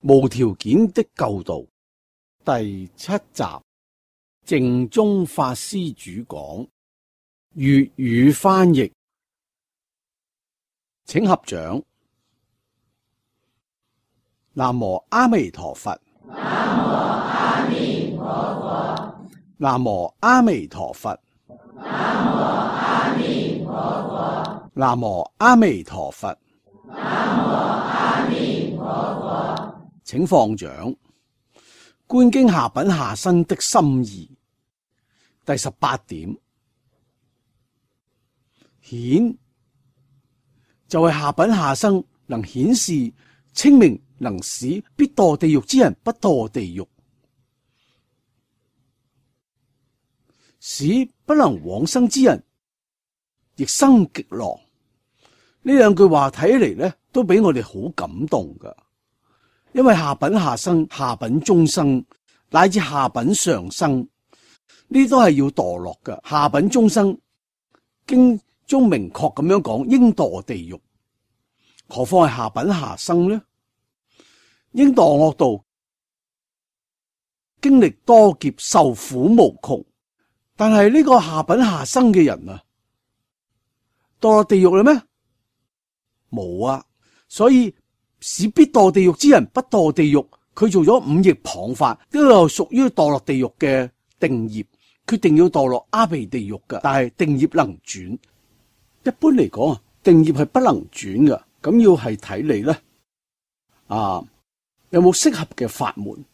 無條件的救度第7集，淨宗法師主講，粵語翻譯，請合掌。南無阿彌陀佛。南無阿彌陀佛。南無阿彌陀佛。南無阿彌陀佛。南無阿彌陀佛。南無阿彌陀佛。請放掌。觀經下品下生的心意，第18點，顯就係下品下生能顯示清明，能使必墮地獄之人不墮地獄，使不能往生之人亦生極樂。呢兩句話睇起嚟咧，都俾我哋好感動噶。因為下品下生、下品中生乃至下品上生，呢都係要墮落噶。下品中生經中明確咁樣講，應墮地獄，何況係下品下生呢？應墮惡道，經歷多劫，受苦無窮。但係呢個下品下生嘅人啊，墮落地獄啦咩？冇啊，所以使必墮地獄之人不墮地獄，佢做咗五逆謗法，都有屬於墮落地獄嘅定業，決定要墮落阿鼻地獄嘅。但係定業能轉，一般嚟講啊，定業係不能轉嘅。咁要係睇你咧，有冇適合嘅法門？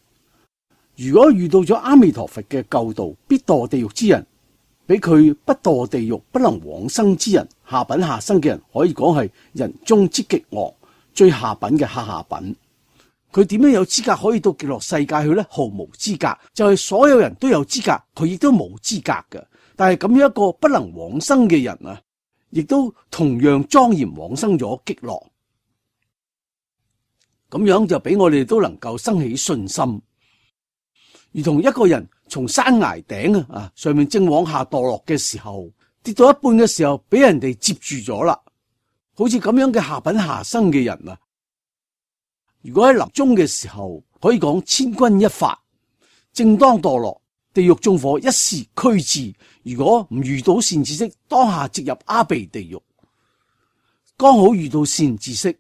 如果遇到咗阿彌陀佛嘅救度，必墮地獄之人，俾佢不墮地獄不能往生之人，下品下生嘅人，可以講係人中之極惡，最下品嘅下品。佢點樣有資格可以到極樂世界去呢？毫無資格，就係所有人都有資格，佢亦都冇資格嘅。但係咁樣一個不能往生嘅人啊，亦都同樣莊嚴往生咗極樂。咁樣就俾我哋都能夠生起信心，如同一個人從山崖頂上面正往下墮落嘅時候，跌到一半嘅時候，俾人哋接住咗啦。好似咁樣嘅下品下生嘅人啊，如果喺臨終嘅時候，可以講千鈞一髮，正當墮落，地獄縱火一時驅至。如果唔遇到善知識，當下直入阿鼻地獄。剛好遇到善知識，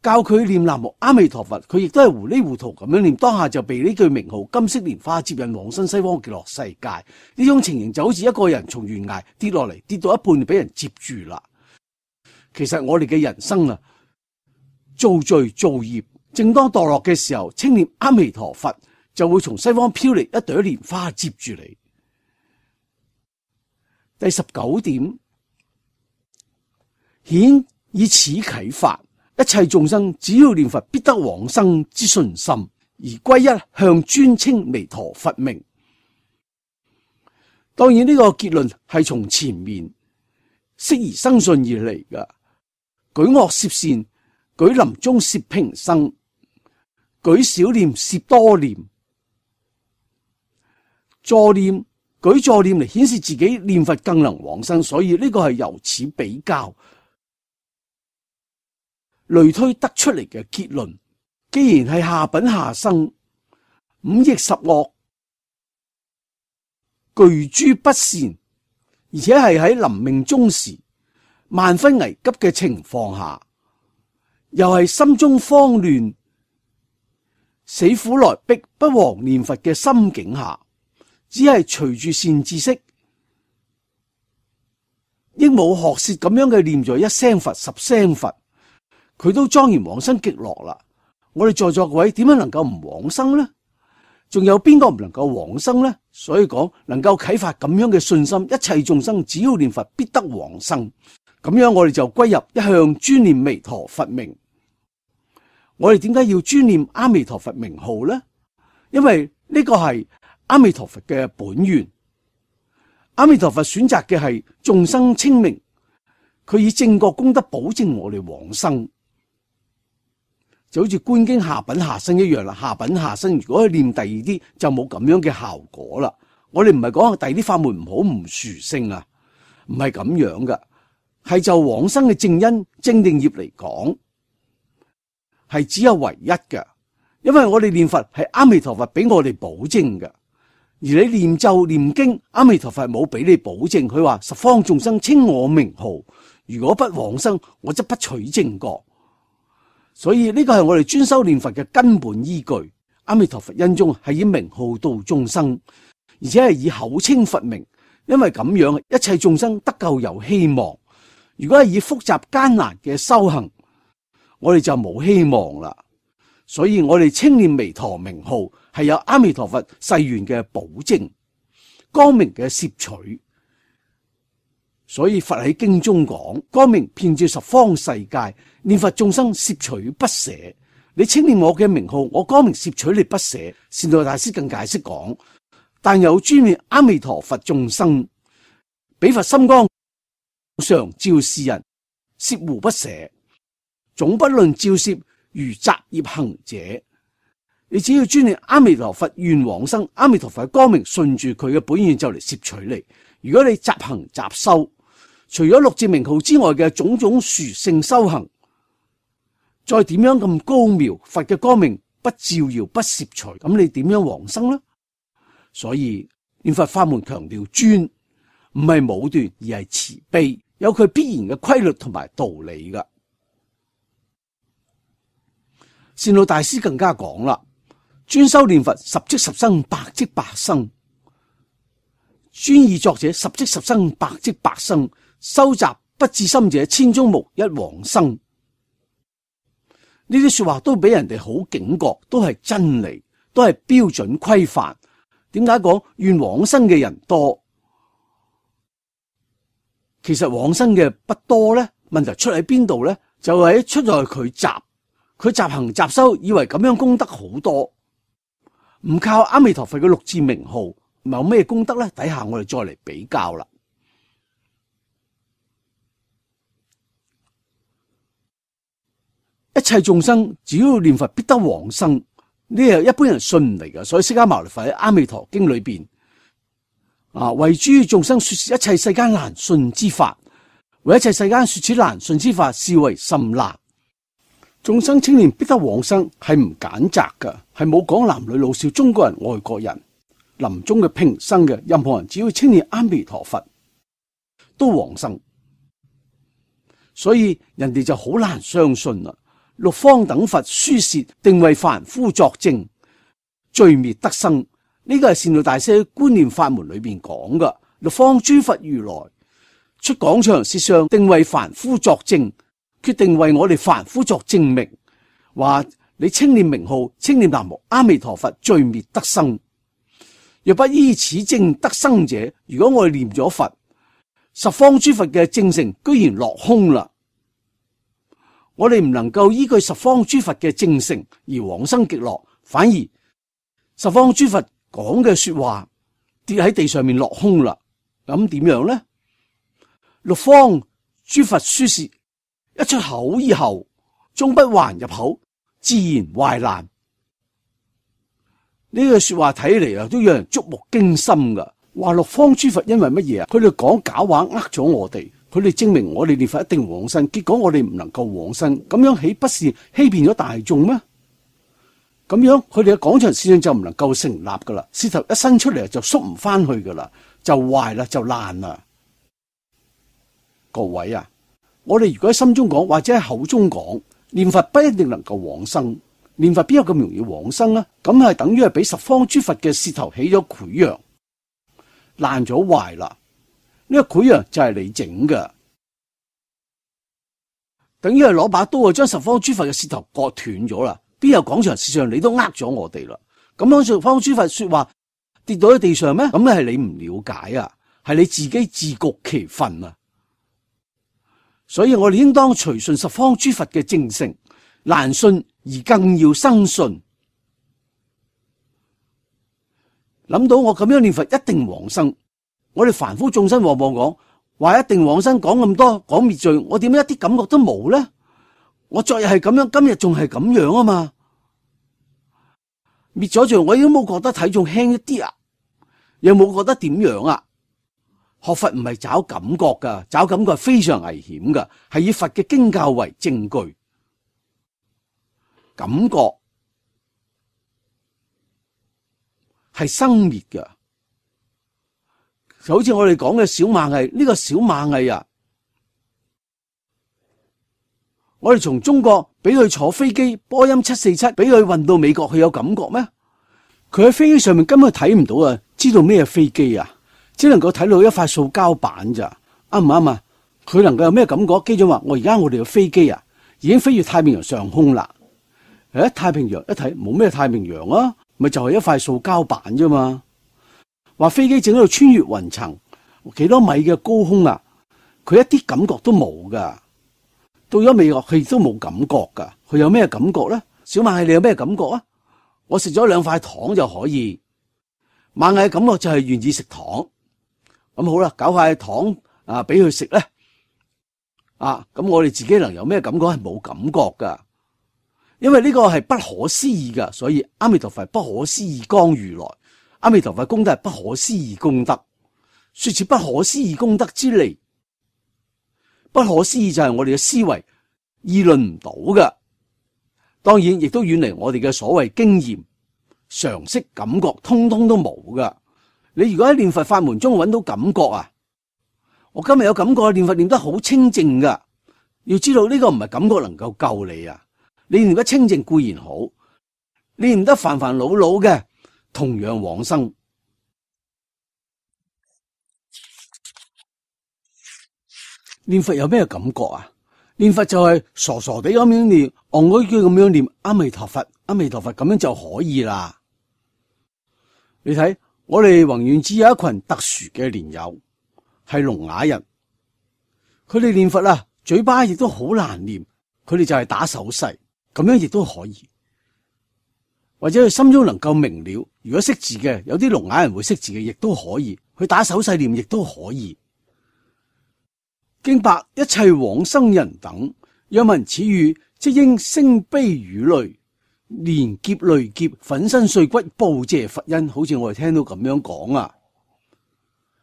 教佢念南無阿彌陀佛，佢亦都係糊裡糊塗咁樣念，當下就被呢句名號金色蓮花接引往生西方極樂世界。呢種情形就好似一個人從懸崖跌落嚟，跌到一半就俾人接住啦。其實我哋嘅人生啊，造罪造業，正當墮落嘅時候，稱念阿彌陀佛，就會從西方飄嚟一朵蓮花接住你。第19點，顯以此啟發，一切眾生只要念佛，必得往生之信心，而歸一向尊稱彌陀佛名。當然呢個結論係從前面釋疑生信而嚟噶。舉惡攝善，舉臨終攝平生，舉少念攝多念，助念舉助念嚟顯示自己念佛更能往生，所以呢個係由此比較類推得出嚟嘅結論。既然係下品下生，五逆十惡，具諸不善，而且係喺臨命終時萬分危急嘅情況下，又係心中慌亂，死苦來逼不忘念佛嘅心境下，只係隨住善知識鸚鵡學舌咁樣嘅念咗一聲佛十聲佛，佢都莊嚴往生極樂啦。我哋在座各位點樣能夠唔往生呢？仲有邊個唔能夠往生呢？所以講能夠啟發咁樣嘅信心，一切眾生只要念佛必得往生。咁樣我哋就歸入一向專念彌陀佛名。我哋點解要專念阿彌陀佛名號呢？因為呢個係阿彌陀佛嘅本願。阿彌陀佛選擇嘅係眾生清明，佢以正覺功德保證我哋往生。就好似觀經下品下生一樣啦。下品下生如果去念第二啲，就冇咁樣嘅效果啦。我哋唔係講第二啲法門唔好唔殊勝啊，唔係咁樣噶。係就往生嘅正因正定業嚟講，係只有唯一嘅。因為我哋念佛係阿彌陀佛俾我哋保證嘅，而你念咒念經，阿彌陀佛冇俾你保證。佢話十方眾生稱我名號，如果不往生，我則不取正覺。所以呢個係我哋專修念佛嘅根本依據。阿彌陀佛恩中係以名號度眾生，而且係以口稱佛名，因為咁樣一切眾生得救有希望。如果係以複雜艱難嘅修行，我哋就冇希望啦。所以我哋稱念彌陀名號係有阿彌陀佛誓願嘅保證，光明嘅攝取。所以佛喺經中講，光明遍照十方世界，念佛眾生攝取不捨。你稱念我嘅名號，我光明攝取你不捨。善導大師更解釋講，但有專念阿彌陀佛眾生，彼佛心光常照世人，攝護不捨。總不論照攝如雜業行者，你只要專念阿彌陀佛願往生，阿彌陀佛嘅光明順住佢嘅本願就嚟攝取你。如果你雜行雜修，除咗六字名號之外嘅種種殊勝修行，再點樣咁高妙，佛嘅光明不照耀不攝取，咁你點樣往生呢？所以念佛法門強調專，唔係武斷，而係慈悲，有佢必然嘅規律同埋道理噶。善導大師更加講啦，專修念佛十即十生，百即百生。專意作者十即十生，百即百生，修習不至心者，千中無一往生。呢啲說話都俾人哋好警覺，都係真理，都係標準規範。點解講願往生嘅人多？其實往生嘅不多呢？問題出喺邊度呢？就係出在佢雜行雜修，以為咁樣功德好多，唔靠阿彌陀佛嘅六字名號，有咩功德呢？底下我哋再嚟比較啦。一切眾生只要念佛必得往生，呢係一般人信唔嚟嘅。所以釋迦牟尼佛喺阿彌陀經裏邊為諸眾生說是一切世間難信之法，為一切世間說此難信之法，是為甚難。眾生稱念必得往生係唔揀擇嘅，係冇講男女老少、中國人、外國人、臨終嘅平生嘅，任何人只要稱念阿彌陀佛都往生。所以人哋就好難相信啦。六方等佛書舌，定為凡夫作證，罪滅得生。呢個係善導大師喺觀念法門裏邊講嘅。六方諸佛如來出廣長舌相，定為凡夫作證，決定為我哋凡夫作證明，話你稱念名號，稱念南無阿彌陀佛，罪滅得生。若不依此證得生者，如果我哋念咗佛，十方諸佛嘅證成居然落空啦。我哋唔能夠依據十方諸佛嘅證成而往生極樂，反而十方諸佛講嘅說話跌喺地上面落空啦。咁點樣呢？六方諸佛書舌一出口以後，終不還入口，自然壞爛。呢句說話睇嚟都讓人觸目驚心噶。話六方諸佛因為乜嘢啊？佢哋講假話呃咗我哋。佢哋證明我哋念佛一定往生，結果我哋唔能夠往生，咁樣豈不是欺騙咗大眾咩？咁樣佢哋嘅廣長舌相就唔能夠成立噶啦，舌頭一伸出嚟就縮唔翻去噶啦，就壞啦，就爛啦。各位啊，我哋如果喺心中講或者喺口中講，念佛不一定能夠往生，念佛邊有咁容易往生啊？咁係等於係俾十方諸佛嘅舌頭起咗潰瘍，爛咗壞啦。呢個潰瘍就係你整嘅，等於係攞把刀將十方諸佛嘅舌頭割斷咗啦。邊有廣長舌相你都呃咗我哋啦？咁樣十方諸佛說話跌到喺地上咩？咁咧係你唔了解啊，係你自己自局其分啊。所以我哋應當隨順十方諸佛嘅證成，難信而更要生信。諗到我咁樣念佛一定往生。我哋凡夫眾生往往講話一定往生，講咁多講滅罪，我點解一啲感覺都冇呢？我昨日係咁樣，今日仲係咁樣啊嘛！滅咗罪，我已經冇覺得體重輕一啲啊，又冇覺得點樣啊？學佛唔係找感覺噶，找感覺係非常危險噶，係以佛嘅經教為證據。感覺係生滅嘅。就好似我哋講嘅小螞蟻，呢個小螞蟻啊，我哋從中國俾佢坐飛機波音747，俾佢運到美國，佢有感覺咩？佢喺飛機上面根本睇唔到啊，知道咩飛機啊？只能夠睇到一塊塑膠板咋，啱唔啱啊？佢能夠有咩感覺？機長話：我哋嘅飛機啊，已經飛越太平洋上空啦。太平洋一睇冇咩太平洋啊，咪就係一塊塑膠板啫嘛。話飛機正喺度穿越雲層，幾多米嘅高空啊，佢一啲感覺都冇噶。到咗美國，佢亦都冇感覺噶。佢有咩感覺咧？小螞蟻你有咩感覺啊？我食咗2塊糖就可以。螞蟻嘅感覺就係願意食糖。咁好啦，搞塊糖啊俾佢食咧。咁我哋自己能有咩感覺？係冇感覺噶。因為呢個係不可思議噶，所以阿彌陀佛不可思議光如來。阿彌陀佛功德係不可思議功德，說似不可思議功德之利，不可思議就係我哋嘅思維議論唔到㗎。當然亦都遠離我哋嘅所謂經驗、常識、感覺，通通都冇㗎。你如果喺念佛法門中揾到感覺啊，我今日有感覺，念佛念得好清淨㗎。要知道呢個唔係感覺能夠救你啊！你念得清淨固然好，你念得煩煩惱惱嘅，同樣往生。念佛有咩感覺啊？念佛就係傻傻地咁樣念，戇居居咁樣念阿彌陀佛，阿彌陀佛咁樣就可以啦。你睇我哋宏願寺有一群特殊嘅蓮友，係聾啞人，佢哋念佛啊，嘴巴亦都好難念，佢哋就係打手勢，咁樣亦都可以。或者佢心中能夠明了，如果識字嘅，有啲聾啞人會識字嘅，亦都可以。佢打手勢念亦都可以。經白一切往生人等，若聞此語，即應聲悲語淚，連劫累劫，粉身碎骨，報謝佛恩。好似我哋聽到咁樣講啊，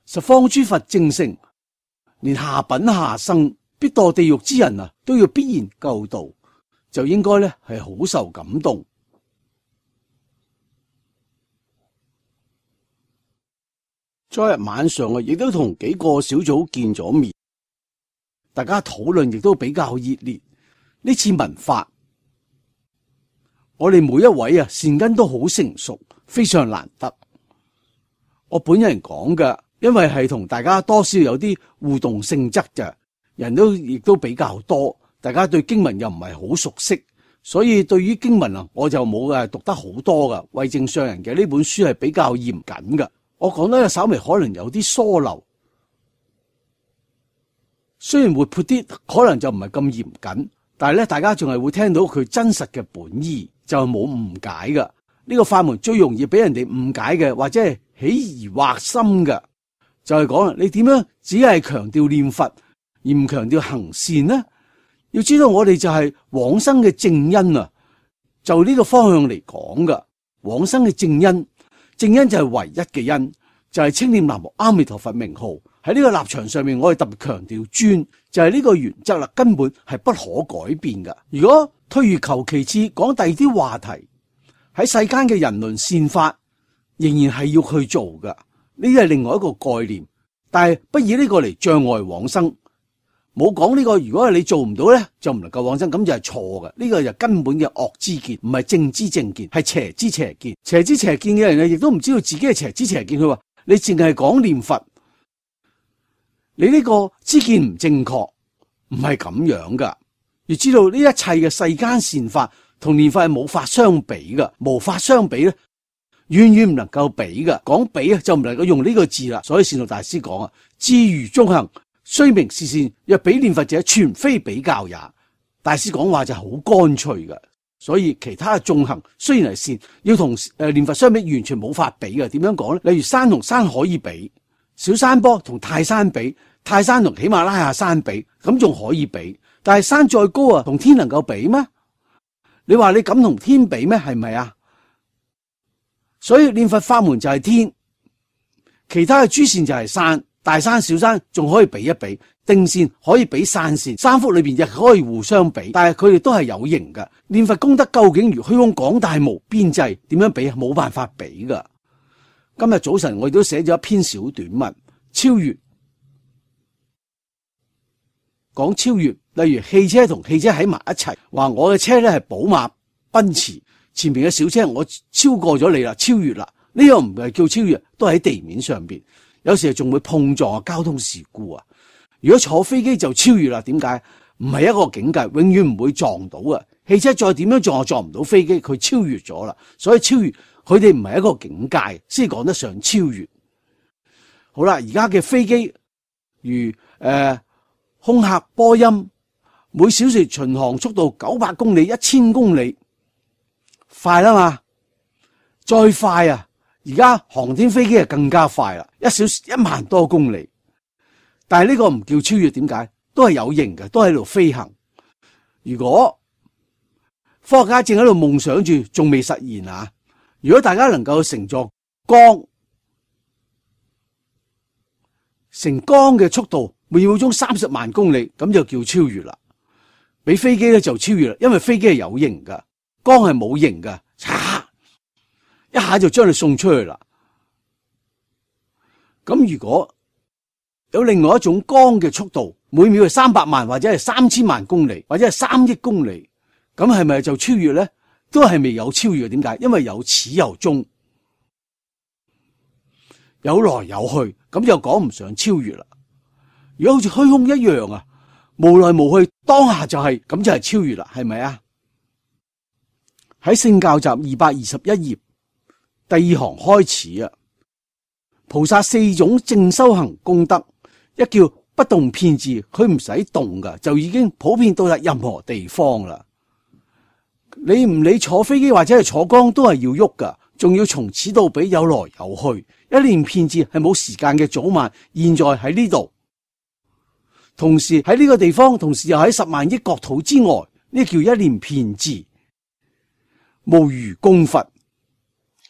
十方諸佛正聖，連下品下生必墮地獄之人啊，都要必然救度，就應該咧係好受感動。昨日晚上啊，亦都同幾個小組見咗面，大家討論亦都比較熱烈。呢次聞法，我哋每一位啊善根都好成熟，非常難得。我本人講嘅，因為係同大家多少有啲互動性質嘅，人都亦都比較多，大家對經文又唔係好熟悉，所以對於經文啊，我就冇讀得好多噶。慧證上人嘅呢本書係比較嚴謹噶。我講得稍微可能有啲疏漏，雖然活潑啲，可能就唔係咁嚴謹，但係咧，大家仲係會聽到佢真實嘅本意，就冇誤解噶。呢個法門最容易俾人哋誤解嘅，或者係起疑惑心嘅，就係講啦，你點樣只係強調念佛而唔強調行善呢？要知道我哋就係往生嘅正因啊，就呢個方向嚟講噶，往生嘅正因。正因就係唯一嘅因，就係稱念南無阿彌陀佛名號。喺呢個立場上面，我哋特別強調尊，就係呢個原則啦，根本係不可改變噶。如果退而求其次講第二啲話題，喺世間嘅人倫善法，仍然係要去做噶。呢啲係另外一個概念，但係不以呢個嚟障礙往生。冇講呢個，如果係你做唔到咧，就唔能夠往生，咁就係錯嘅。呢個就根本嘅惡知見，唔係正知正見，係邪知邪見。邪知邪見嘅人咧，亦都唔知道自己係邪知邪見。佢話你淨係講念佛，你呢個知見唔正確，唔係咁樣噶。要知道呢一切嘅世間善法同念佛係冇法相比噶，無法相比咧，遠遠唔能夠比噶。講比啊，就唔能夠用呢個字啦。所以善導大師講啊，智如中行，雖名是善，若比念佛者，全非比較也。大師講話就好乾脆嘅，所以其他嘅眾行雖然係善，要同念佛相比，完全冇法比嘅。點樣講咧？例如山同山可以比，小山坡同泰山比，泰山同喜馬拉雅山比，咁仲可以比。但係山再高啊，同天能夠比咩？你話你敢同天比咩？係咪啊？所以念佛法門就係天，其他嘅諸善就係山。大山小山仲可以比一比，定善可以比散善，三福裏邊亦可以互相比，但係佢哋都係有形嘅。念佛功德究竟如虛空廣大無邊際，點樣比？冇辦法比噶。今日早晨我亦都寫咗一篇小短文，超越，講超越，例如汽車同汽車喺埋一齊，話我嘅車咧係寶馬、奔馳，前面嘅小車我超過咗你啦，超越啦，呢個唔係叫超越，都喺地面上邊，有時仲會碰撞交通事故啊。如果坐飛機就超越啦，點解？唔係一個境界，永遠唔會撞到啊。汽車再點樣撞，撞唔到飛機，佢超越咗啦。所以超越，佢哋唔係一個境界，先講得上超越。好啦，而家嘅飛機如空客波音，每小時巡航速度900公里、1000公里，快啦嘛。再快啊，而家航天飛機係更加快啦，1小時1萬多公里。但係呢個唔叫超越，點解？都係有形嘅，都喺度飛行。如果科學家正喺度夢想住，仲未實現啊！如果大家能夠乘坐光嘅速度，每秒鐘30萬公里，咁就叫超越啦。比飛機咧就超越啦，因為飛機係有形㗎，光係冇形㗎，一下就將你送出去啦。咁如果有另外一種光嘅速度，每秒係300萬或者係3000萬公里，或者係3億公里，咁係咪就超越咧？都係未有超越嘅。點解？因為有始有終，有來有去，咁就講唔上超越啦。如果好似虛空一樣啊，無來無去，當下就係，咁就係超越啦，係咪啊？喺聖教集221頁第2行開始啊，菩薩4種正修行功德，一叫不動遍智，佢唔使動噶，就已經普遍到達任何地方啦。你唔理坐飛機或者係坐光都係要喐噶，仲要從此到彼有來有去，一念遍智係冇時間嘅早晚，現在喺呢度，同時喺呢個地方，同時又喺10萬億國土之外，呢叫一念遍智。無餘供佛，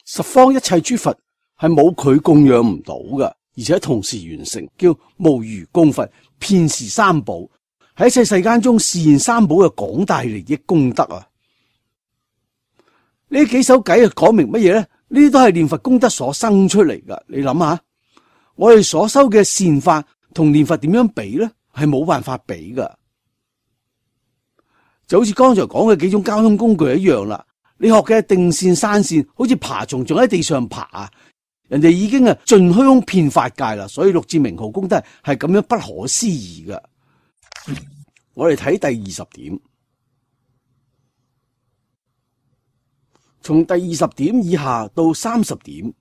十方一切諸佛係冇佢供養唔到噶，而且同時完成，叫無餘供佛，遍示三寶，喺一切世間中示現三寶嘅廣大利益功德啊！呢幾首偈講明乜嘢咧？呢啲都係念佛功德所生出嚟噶。你諗下，我哋所修嘅善法同念佛點樣比咧？係冇辦法比噶。就好似剛才講嘅幾種交通工具一樣啦。你學嘅定線、山線，好似爬蟲仲喺地上爬啊！人哋已經盡虛空遍法界啦，所以六字名號功德係咁樣不可思議噶。我哋睇第20點，從第20點以下到30點，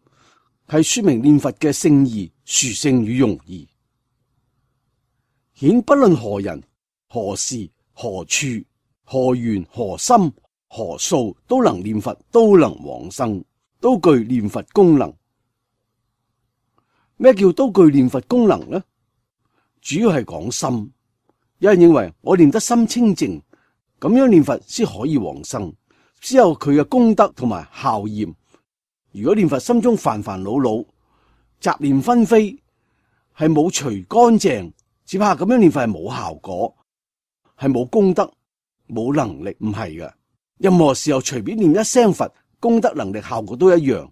係說明念佛嘅聖義、殊勝與容易，顯不論何人、何事、何處、何緣、何心、何數都能念佛，都能往生，都具念佛功能。咩叫都具念佛功能呢？主要係講心。有人認為我念得心清淨，咁樣念佛先可以往生，先有佢嘅功德同埋效驗。如果念佛心中煩煩惱惱、雜念紛飛，係冇除乾淨，只怕咁樣念佛係冇效果，係冇功德、冇能力，唔係嘅。任何時候隨便念一聲佛，功德能力效果都一樣。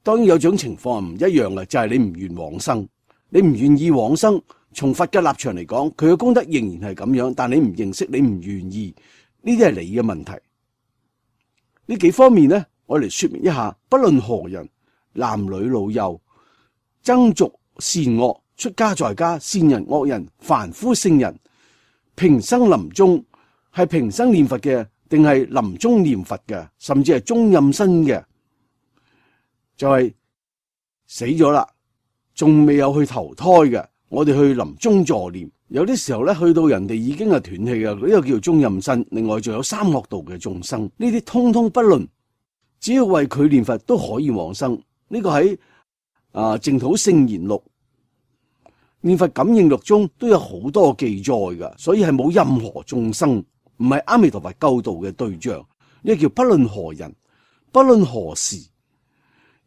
當然有種情況唔一樣嘅，就係你唔願往生，你唔願意往生。從佛嘅立場嚟講，佢嘅功德仍然係咁樣，但你唔認識，你唔願意，呢啲係你嘅問題。呢幾方面呢，我嚟說明一下。不論何人，男女老幼、僧俗善惡、出家在家、善人惡人、凡夫聖人，平生臨終係平生念佛嘅，定係臨終念佛嘅，甚至係中陰身嘅，就係死咗啦，仲未有去投胎嘅，我哋去臨終助念。有啲時候咧，去到人哋已經係斷氣嘅，呢個叫做中陰身。另外仲有三惡道嘅眾生，呢啲通通不論，只要為佢念佛都可以往生。呢個喺淨土聖言錄、念佛感應錄中都有好多記載噶，所以係冇任何眾生唔係阿彌陀佛救度嘅對象。呢個叫不論何人，不論何時。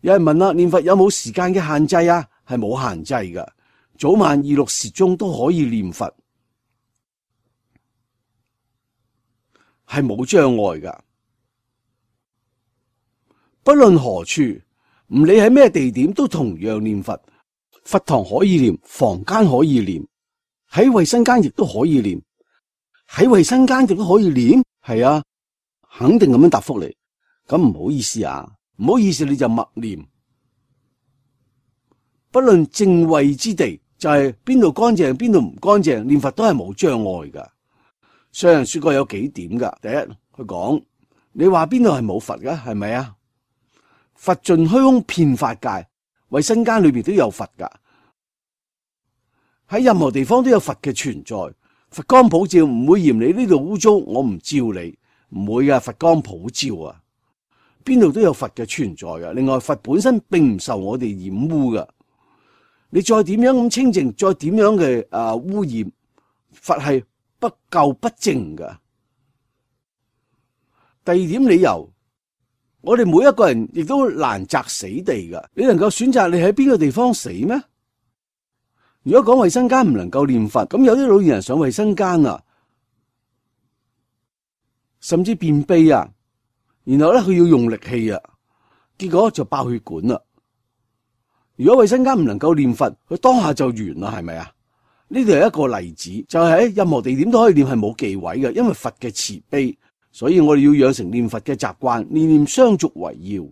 有人問啦，念佛有冇時間嘅限制啊？係冇限制噶，早晚2、6時中都可以念佛，係冇障礙噶。不論何處，唔理喺咩地點，都同樣念佛。佛堂可以念，房間可以念，喺衛生間亦都可以念，喺衛生間亦都可以念。係啊，肯定咁樣答覆你。咁唔好意思啊，唔好意思，你就默念。不論正位之地，就係邊度乾淨邊度唔乾淨，念佛都係冇障礙噶。上人說過有幾點噶。第一，佢講你話邊度係冇佛噶，係咪啊？佛盡虛空遍法界，衛生間裏邊都有佛噶，喺任何地方都有佛嘅存在。佛光普照，唔會嫌你呢度污糟，我唔照你，唔會噶。佛光普照啊，邊度都有佛嘅存在噶。另外，佛本身並唔受我哋染污噶。你再點樣咁清淨，再點樣嘅污染，佛係不垢不淨噶。第二點理由，我哋每一個人亦都難擇死地噶。你能夠選擇你喺邊個地方死咩？如果講衛生間唔能夠念佛，咁有啲老年人上衛生間啊，甚至便秘啊，然後咧佢要用力氣啊，結果就爆血管啦。如果衛生間唔能夠念佛，佢當下就完啦，係咪啊？呢度係一個例子，就係喺任何地點都可以念，係冇忌諱嘅，因為佛嘅慈悲，所以我哋要養成念佛嘅習慣，念念相續為要。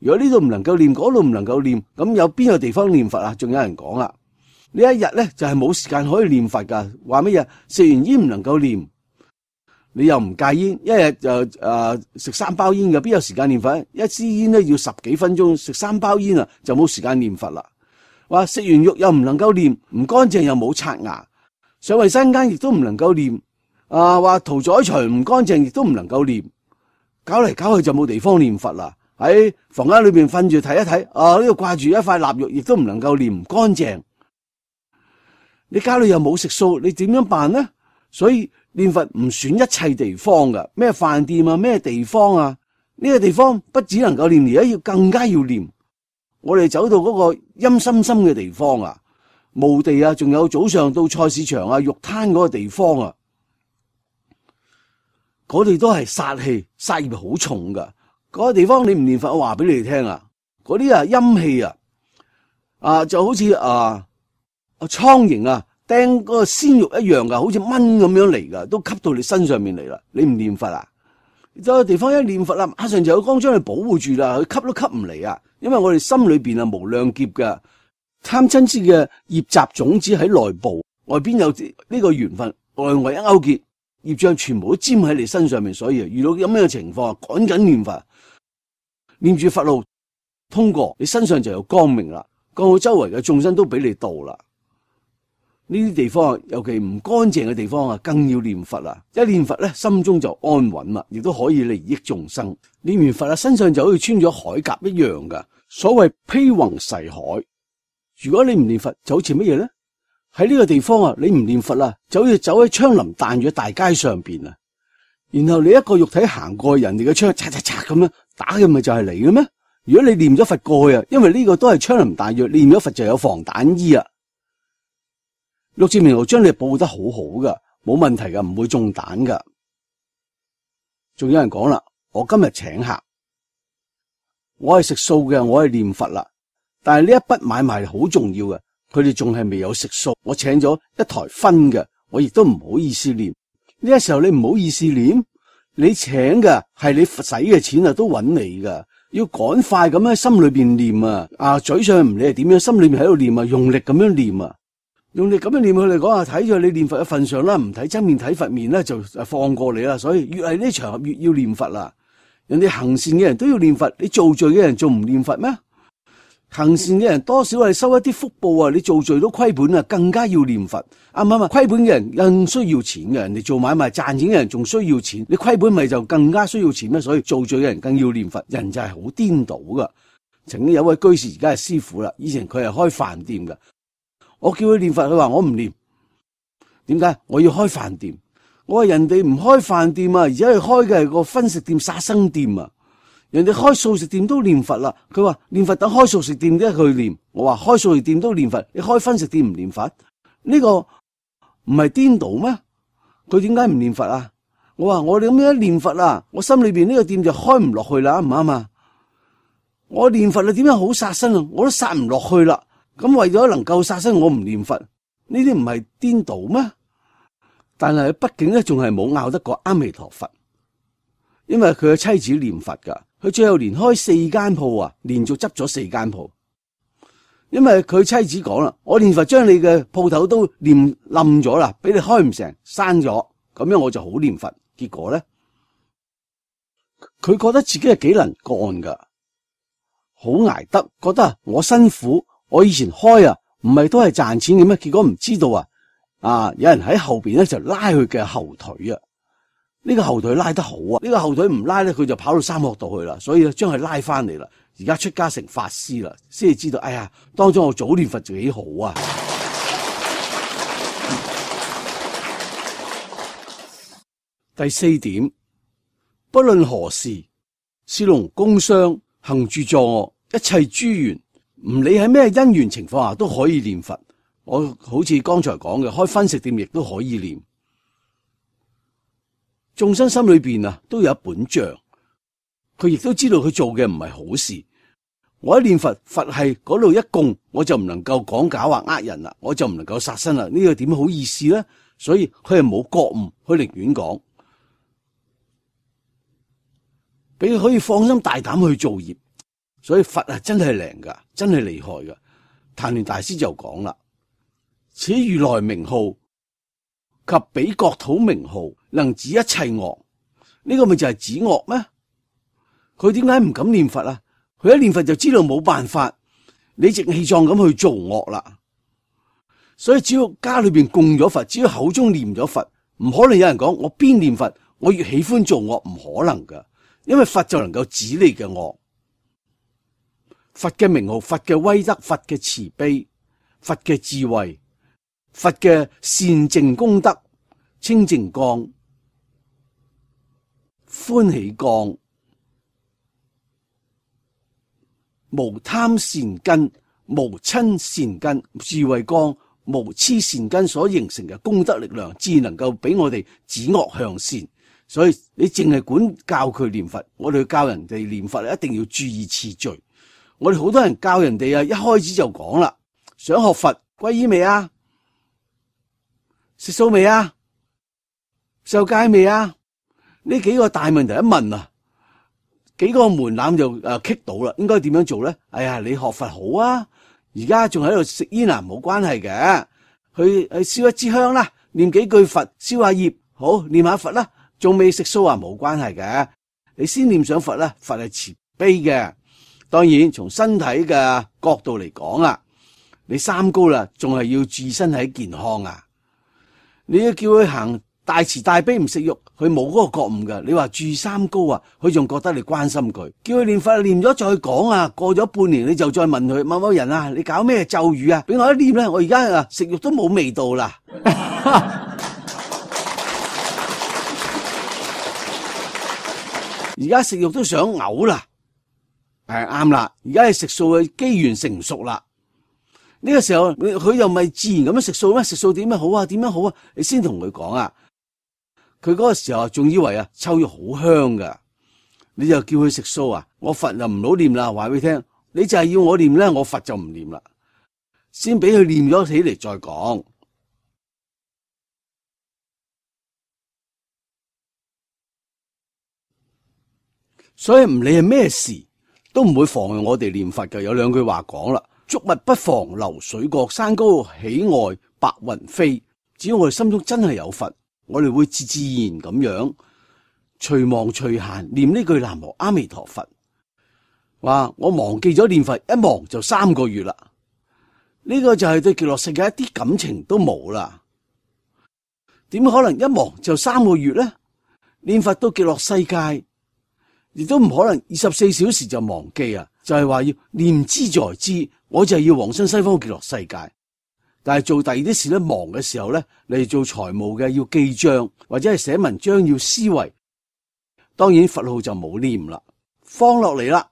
如果呢度唔能夠念，嗰度唔能夠念，咁有邊個地方念佛啊？仲有人講啦，呢一日咧就係冇時間可以念佛噶，話乜嘢？食完煙唔能夠念。你又唔戒煙，一日就食3包煙嘅，邊有時間念佛？一支煙咧要10幾分鐘，食3包煙啊就冇時間念佛啦。話食完肉又唔能夠念，唔乾淨又冇刷牙，上衛生間亦都唔能夠念。話屠宰場唔乾淨亦都唔能夠念，搞嚟搞去就冇地方念佛啦。喺房間裏邊瞓住睇一睇，呢度掛住一塊臘肉，亦都唔能夠念，唔乾淨。你家裏又冇食素，你點樣辦呢？所以念佛唔選一切地方噶，咩飯店啊，咩地方啊，呢個地方不只能夠念，而家要更加要念。我哋走到嗰個陰森森嘅地方啊，墓地啊，仲有早上到菜市場啊、肉攤嗰個地方啊，嗰啲都係殺氣、殺業好重噶。嗰個地方你唔念佛，我話俾你哋聽啊，嗰啲陰氣就好似蒼蠅釘嗰個鮮肉一樣噶，好似蚊咁樣嚟噶，都吸到你身上面嚟啦。你唔念佛啊？有個地方一念佛啦，馬上就有光將你保護住啦，佢吸都吸唔嚟啊！因為我哋心裏邊無量劫嘅貪嗔癡嘅業習種子喺內部，外邊有呢個緣分，內外一勾結，業障全部都沾喺你身上面，所以遇到咁樣嘅情況，趕緊念佛，念住佛路通過，你身上就有光明啦，降到周圍嘅眾生都俾你度啦。呢啲地方，尤其唔乾淨嘅地方更要念佛啦。一念佛咧，心中就安穩啦，亦都可以利益眾生。念完佛身上就好似穿咗鎧甲一樣噶。所謂披宏誓海，如果你唔念佛，就好似乜嘢咧？喺呢個地方你唔念佛啦，就好似走喺槍林彈雨嘅大街上邊啊。然後你一個肉體行過人哋嘅槍，嚓嚓嚓咁樣打嘅，咪就係你嘅咩？如果你念咗佛過去因為呢個都係槍林彈雨，念咗佛就有防彈衣啊。六字明號將你保護得好好噶，冇問題噶，唔會中彈噶。仲有人講啦，我今日請客，我係食素嘅，我係念佛啦。但係呢一筆買賣好重要嘅，佢哋仲係未有食素。我請咗一台葷嘅，我亦都唔好意思念。呢個時候你唔好意思念，你請嘅係你使嘅錢都揾你噶，要趕快咁喺心裏邊念嘴上唔理係點樣，心裏面喺度念用力咁樣念用力咁樣念，佢哋講睇咗你念佛嘅份上啦，唔睇真面睇佛面咧，就放過你啦。所以越係呢場合越要念佛啦。人哋行善嘅人都要念佛，你做罪嘅人仲唔念佛咩？行善嘅人多少係收一啲福報你做罪都虧本更加要念佛。啱唔啱？虧本嘅人更需要錢嘅，人哋做買賣賺錢嘅人仲需要錢，你虧本咪就更加需要錢咩？所以做罪嘅人更要念佛。人就係好顛倒噶。曾經有位居士而家係師傅啦，以前佢係開飯店噶。我叫佢念佛，佢話我唔念。點解？我要開飯店。我話人哋唔開飯店而且係開嘅係個分食店、殺生店啊。人哋開素食店都念佛啦。佢話念佛等開素食店都去念。我話開素食店都念佛，你開分食店唔念佛？呢個唔係顛倒咩？佢點解唔念佛啊？我話我哋咁樣一念佛我心裏邊呢個店就開唔落去啦，啱唔啱啊？我念佛啊，點樣好殺生啊？我都殺唔落去啦。咁為咗能夠殺生，我唔念佛，呢啲唔係顛倒咩？但係畢竟咧，仲係冇拗得過阿彌陀佛，因為佢嘅妻子念佛噶，佢最後連開4間鋪啊，連續執咗4間鋪。因為佢妻子講啦，我念佛將你嘅鋪頭都念冧咗啦，俾你開唔成，閂咗，咁樣我就好念佛。結果咧，佢覺得自己係幾能幹噶，好捱得，覺得我辛苦，我以前開啊，唔係都係賺錢嘅咩？結果唔知道有人喺後邊咧就拉佢嘅後腿啊，呢個後腿拉得好啊，呢個後腿唔拉咧，佢就跑到三惡道去啦，所以咧將佢拉翻嚟啦。而家出家成法師啦，先至知道，哎呀，當初我早念佛就幾好啊！第4點，不論何事，士農工商行住坐臥，一切諸緣，唔理喺咩因緣情況下都可以念佛。我好似剛才講嘅，開分食店亦都可以念。眾生心裏邊都有一本賬，佢亦都知道佢做嘅唔係好事。我一念佛，佛係嗰度一供，我就唔能夠講假話呃人啦，我就唔能夠殺生啦。呢個點好意思咧？所以佢係冇覺悟，佢寧願講，俾佢可以放心大膽去做業。所以佛真係靈噶，真係厲害噶。曇鸞大師就講啦：此如來名號及彼國土名號，能止一切惡。呢個咪就係止惡咩？佢點解唔敢念佛啊？佢一念佛就知道冇辦法，理直氣壯咁去做惡啦。所以只要家裏邊供咗佛，只要口中念咗佛，唔可能有人講我邊念佛我越喜歡做惡，唔可能噶。因為佛就能夠止你嘅惡。佛嘅名號，佛嘅威德，佛嘅慈悲，佛嘅智慧，佛嘅善淨功德，清淨光、歡喜光、無貪善根、無瞋善根、智慧光、無痴善根所形成嘅功德力量，自能夠俾我哋止惡向善。所以你淨係管教佢念佛，我哋教人哋念佛一定要注意次序。我哋好多人教人哋一開始就講啦，想學佛皈依未啊？食素未啊？受戒未啊？呢幾個大問題一問幾個門檻就棘到啦。應該點樣做咧？哎呀，你學佛好啊，而家仲喺度食煙冇關係嘅，去燒一支香啦，念幾句佛，燒下業，好念下佛啦。仲未食素冇關係嘅，你先念上佛啦。佛係慈悲嘅，當然從身體嘅角度嚟講你三高啦，仲係要注意身體健康啊。你要叫佢行大慈大悲唔食肉，佢冇嗰個覺悟噶。你話注意三高佢仲覺得你關心佢，叫佢念佛念咗再講過咗半年你就再問佢，某某人你搞咩咒語啊？俾我一念咧，我而家食肉都冇味道啦。而家食肉都想嘔啦，係啱啦。而家係食素嘅機緣成熟啦，呢個時候佢又咪自然咁樣食素咩？食素點樣好啊？點樣好啊？你先同佢講佢嗰個時候仲以為臭肉好香噶，你就叫佢食素我佛就唔好念啦，話俾佢聽，你就係要我念咧，我佛就唔念啦，先俾佢念咗起嚟再講。所以唔理係咩事，都唔會妨礙我哋念佛嘅。有兩句話講啦：觸物不妨流水過，山高喜外白雲飛。只要我哋心中真係有佛，我哋會自然咁樣隨忙隨閒念呢句南無阿彌陀佛。話我忘記咗念佛，一忘就3個月啦。呢個就係對極樂世界一啲感情都冇啦。點可能一忘就3個月呢？念佛到極樂世界，亦都唔可能24小時就忘記就係話要念之在之，我就係要往生西方極樂世界。但係做第二啲事咧，忙嘅時候咧，嚟做財務嘅要記賬，或者係寫文章要思維，當然佛號就冇念啦，放落嚟啦。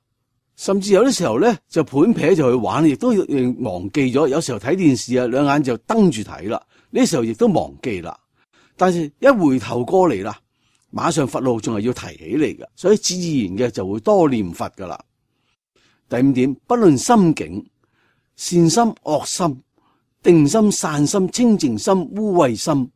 甚至有啲時候咧就盤撇就去玩，亦都忘記咗。有時候睇電視兩眼就瞪住睇啦，呢時候亦都忘記啦。但是一回頭過嚟啦，馬上佛號仲係要提起嚟嘅，所以自然嘅就會多念佛噶啦。第五點，不論心境，善心、惡心、定心、散心、清淨心、污穢心，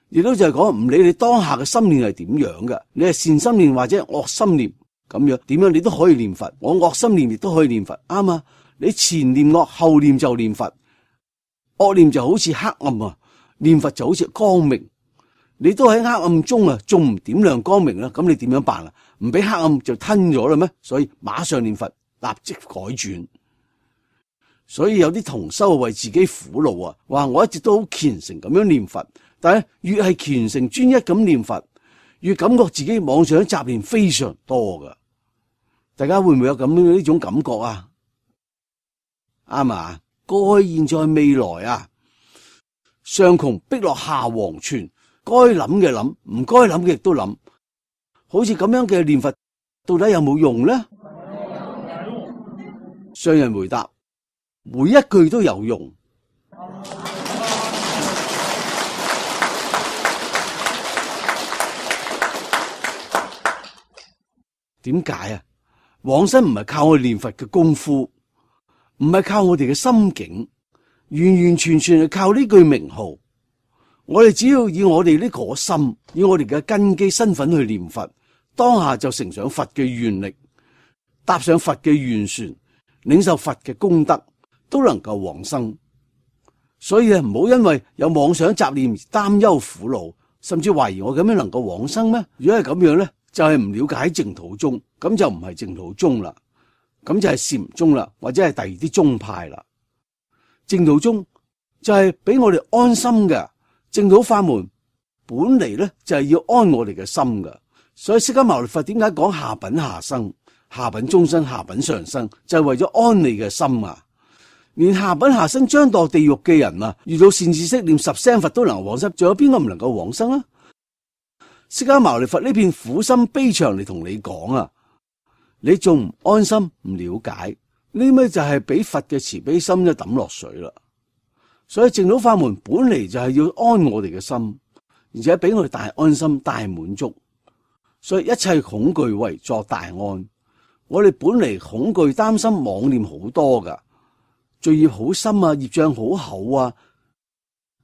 亦都就係講唔理你當下嘅心念係點樣嘅，你係善心念或者惡心念咁樣，點樣你都可以念佛。我惡心念亦都可以念佛，啱啊！你前念惡，後念就念佛。惡念就好似黑暗啊，念佛就好似光明。你都喺黑暗中啊，仲唔點亮光明啦？咁你點樣辦啊？唔俾黑暗就吞咗啦咩？所以馬上念佛，立即改轉。所以有啲同修為自己苦惱啊，話我一直都好虔誠咁樣念佛，但係越係虔誠專一咁念佛，越感覺自己妄想雜念非常多噶。大家會唔會有咁樣呢種感覺啊？啱啊！過去、現在、未來啊，上窮碧落下黃泉，該諗嘅諗，唔該諗嘅亦都諗。好似咁樣嘅念佛，到底有冇用呢？上人回答：每一句都有用。點解啊？往生唔係靠我念佛嘅功夫，唔係靠我哋嘅心境，完完全全係靠呢句名號。我哋只要以我哋呢個心，以我哋嘅根基身份去念佛，當下就乘上佛嘅願力，搭上佛嘅願船，領受佛嘅功德，都能夠往生。所以唔好因為有妄想雜念而擔憂苦惱，甚至懷疑我咁樣能夠往生咩？如果係咁樣咧，就係唔了解淨土宗，咁就唔係淨土宗啦，咁就係禪宗啦，或者係第二啲宗派啦。淨土宗就係俾我哋安心嘅，淨土法門本嚟咧就係要安我哋嘅心噶。所以釋迦牟尼佛點解講下品下生、下品中生、下品上生，就係為咗安你嘅心啊！連下品下生將墮地獄嘅人啊，遇到善知識念10聲佛都能往生，仲有邊個唔能夠往生啊？釋迦牟尼佛呢片苦心悲腸嚟同你講啊，你仲唔安心唔了解呢？咩就係俾佛嘅慈悲心一抌落水啦。所以淨土法門本嚟就係要安我哋嘅心，而且俾我哋大安心、大滿足。所以一切恐懼為作大安。我哋本嚟恐懼、擔心、妄念好多噶，罪業好深啊，業障好厚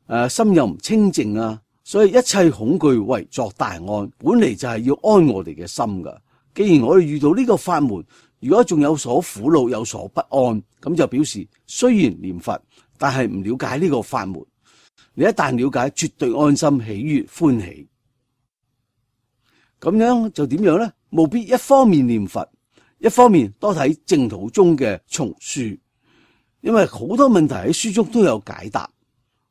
啊，心又唔清淨啊。所以一切恐懼為作大安，本嚟就係要安我哋嘅心噶。既然我哋遇到呢個法門，如果仲有所苦惱、有所不安，咁就表示雖然念佛，但係唔了解呢個法門。你一旦了解，絕對安心、喜悅、歡喜。咁樣就點樣咧？務必一方面念佛，一方面多睇淨土宗嘅叢書，因為好多問題喺書中都有解答。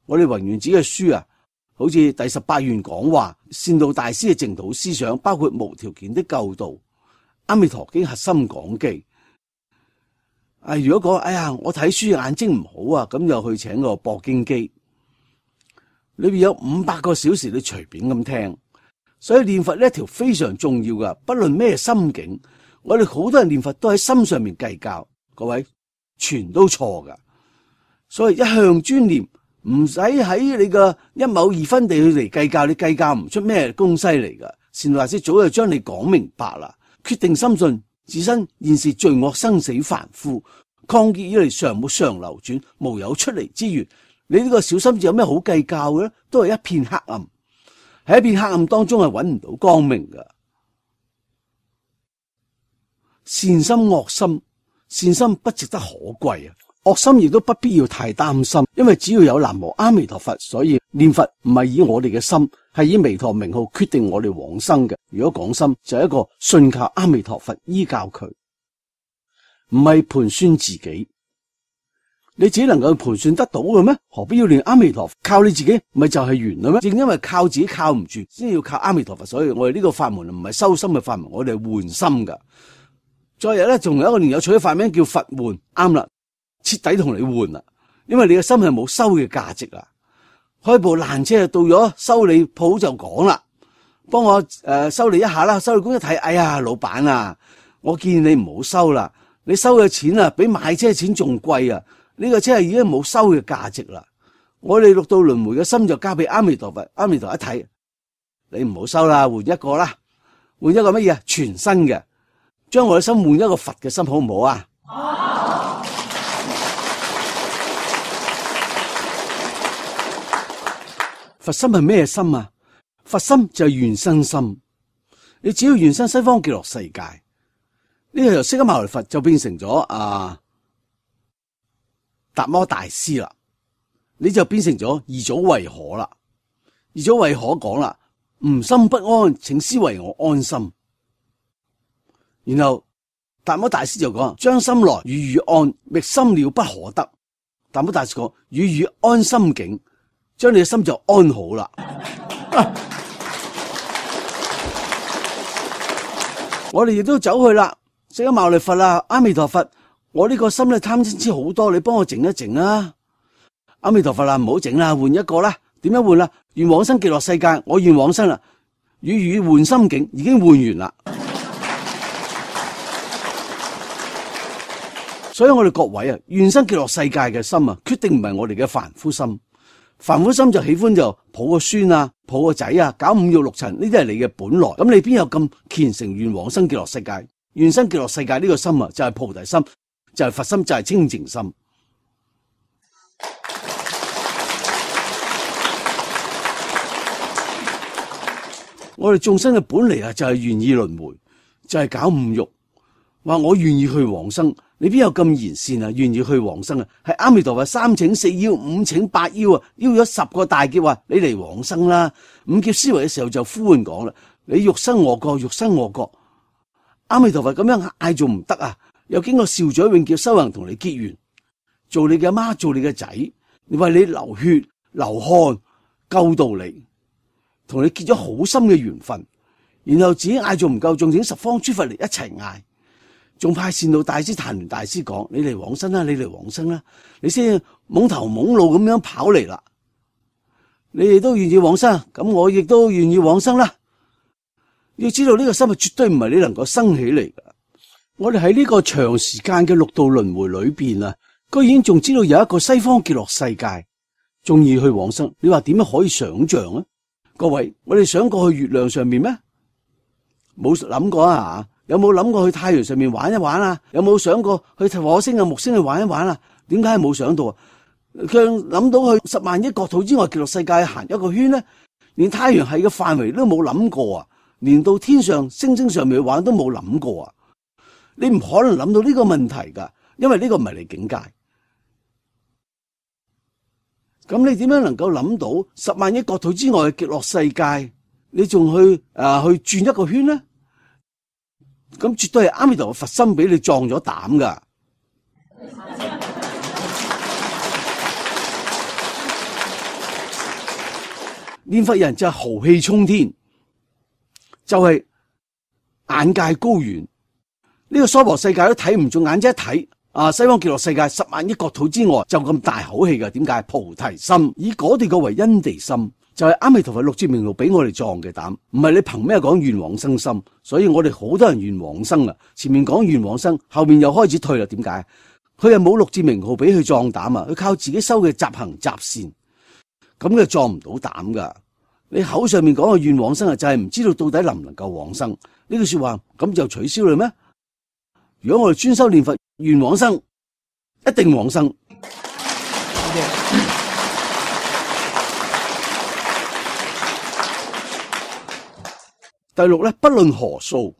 我哋弘願寺嘅書啊，好似第18願講話，善導大師嘅淨土思想，包括無條件的救度、阿彌陀經核心講記。如果講我睇書眼睛唔好啊，咁就去請個播經機，裏邊有500個小時，你隨便咁聽。所以念佛呢一條非常重要噶，不論咩心境，我哋好多人念佛都喺心上面計較，各位全都錯噶。所以一向專念，唔使喺你個一畝2分地去嚟計較，你計較唔出咩東西嚟噶。善導大師早就將你講明白啦，決定深信自身現時罪惡生死凡夫，曠劫以嚟常沒常流轉，無有出離之緣。你呢個小心智有咩好計較嘅咧？都係一片黑暗。喺一片黑暗當中係揾唔到光明噶。善心惡心，善心不值得可貴啊，惡心亦都不必要太擔心，因為只要有南無阿彌陀佛，所以念佛唔係以我哋嘅心，係以彌陀名號決定我哋往生嘅。如果講心就係一個信靠阿彌陀佛，依教佢，唔係盤算自己。你自己能夠盤算得到嘅咩？何必要念阿彌陀佛？靠你自己咪就係完啦咩？正因為靠自己靠唔住，先要靠阿彌陀佛。所以我哋呢個法門唔係修心嘅法門，我哋係換心噶。再日咧，仲有一個年有趣嘅法名叫佛換，啱啦，徹底同你換啦。因為你嘅心係冇修嘅價值啊。開部爛車到咗修理鋪就講啦，幫我修理一下啦。修理工一睇，哎呀，老闆啊，我建議你唔好收啦，你收嘅錢啊，比買車錢仲貴啊。呢個車係已經冇收嘅價值啦，我哋六道輪迴嘅心就交俾阿彌陀佛，阿彌陀一睇，你唔好收啦，換一個啦，換一個乜嘢？全新嘅，將我嘅心換一個佛嘅心，好唔好啊？好。佛心係咩心啊？佛心就係願生心。你只要願生西方極樂世界，呢個由釋迦牟尼佛就變成咗達摩大師啦，你就變成咗二祖慧可啦。二祖慧可講啦，吾心不安，請師為我安心。然後達摩大師就講，將心來與予安，覓心了不可得。達摩大師講，與予安心境，將你嘅心就安好啦。我哋亦都走去啦，釋迦牟尼佛啦，阿彌陀佛，我呢個心咧貪嗔痴好多，你幫我靜一靜啦。阿彌陀佛啦，唔好靜啦，換一個啦。點樣換啦？願往生極樂世界，我願往生啦。與予換心境，已經換完啦。所以我哋各位啊，願生極樂世界嘅心啊，決定唔係我哋嘅凡夫心。凡夫心就喜歡就抱個孫啊，抱個仔啊，搞五欲六塵，呢啲係你嘅本來。咁你邊有咁虔誠願往生極樂世界？願生極樂世界呢個心啊，就係菩提心，就係佛心，就係清淨心。我哋眾生嘅本嚟啊，就係願意輪迴，就係搞五欲，話我願意去往生。你邊有咁賢善啊？願意去往生啊？係阿彌陀佛三請四邀五請八邀啊，邀咗10個大劫話你嚟往生啦。五劫思維嘅時候就呼喚講啦，你欲生我國，欲生我國。阿彌陀佛咁樣嗌仲唔得啊？又經過少主永劫修行同你結緣，做你嘅阿媽，做你嘅仔，你為你流血流汗救度你，同你結咗好深嘅緣分。然後自己嗌仲唔夠，仲請十方諸佛嚟一齊嗌。仲派善導大師曇鸞大師講，你嚟往生啦，你嚟往生啦，你先懵頭懵腦咁樣跑嚟啦。你哋都願意往生，咁我亦都願意往生啦。要知道呢個心係絕對唔係你能夠生起嚟噶。我哋喺呢個長時間嘅六道輪迴裏邊啊，居然仲知道有一個西方極樂世界，仲要去往生，你話點樣可以想象啊？各位，我哋想過去月亮上面咩？冇諗過啊？有冇諗過去太陽上面玩一玩啊？有冇想過去火星啊、木星去玩一玩啊？點解冇想到啊？佢諗到去10萬億國土之外極樂世界行一個圈呢？連太陽系嘅範圍都冇諗過啊！連到天上星星上面去玩都冇諗過啊！你唔可能諗到呢個問題噶，因為呢個唔係你境界。咁你點樣能夠諗到10萬億國土之外嘅極樂世界？你仲去轉一個圈呢？咁絕對係阿彌陀佛佛心俾你壯咗膽噶。念佛人就係豪氣沖天，就係眼界高遠。呢個娑婆世界都睇唔中眼，啫一睇西方極樂世界10萬億國土之外就咁大口氣噶。點解？菩提心，以嗰啲個為因地心。就係阿彌陀佛六字名號俾我哋壯嘅膽，唔係你憑咩講願往生心。所以我哋好多人願往生啦，前面講願往生，後面又開始退啦。點解？佢係冇六字名號俾佢壯膽啊，佢靠自己修嘅習行習善，咁佢壯唔到膽噶。你口上面講嘅願往生啊，就係唔知道到底能唔能夠往生呢句說話，咁就取消啦咩？如果我哋專修念佛願往生，一定往生。第六咧，不論何數，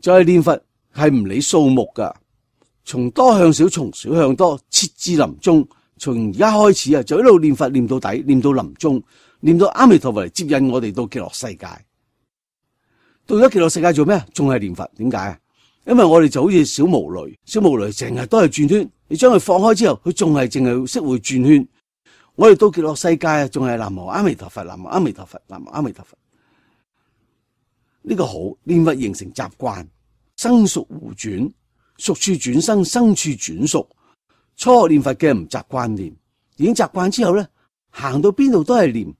就係念佛係唔理數目噶，從多向少，從少向多，切至臨終。從而家開始啊，就一路念佛念到底，念到臨終，念到阿彌陀佛嚟接引我哋到極樂世界。到咗極樂世界做咩？仲係念佛？點解啊？因為我哋就好似小毛驢，小毛驢成日都係轉圈，你將佢放開之後，佢仲係淨係識會轉圈。我哋到極樂世界啊，仲係南無阿彌陀佛，南無阿彌陀佛，南無阿彌陀佛。呢個好，念佛形成習慣，生熟互轉，熟處轉生，生處轉熟。初學念佛嘅唔習慣念，已經習慣之後咧，行到邊度都係念。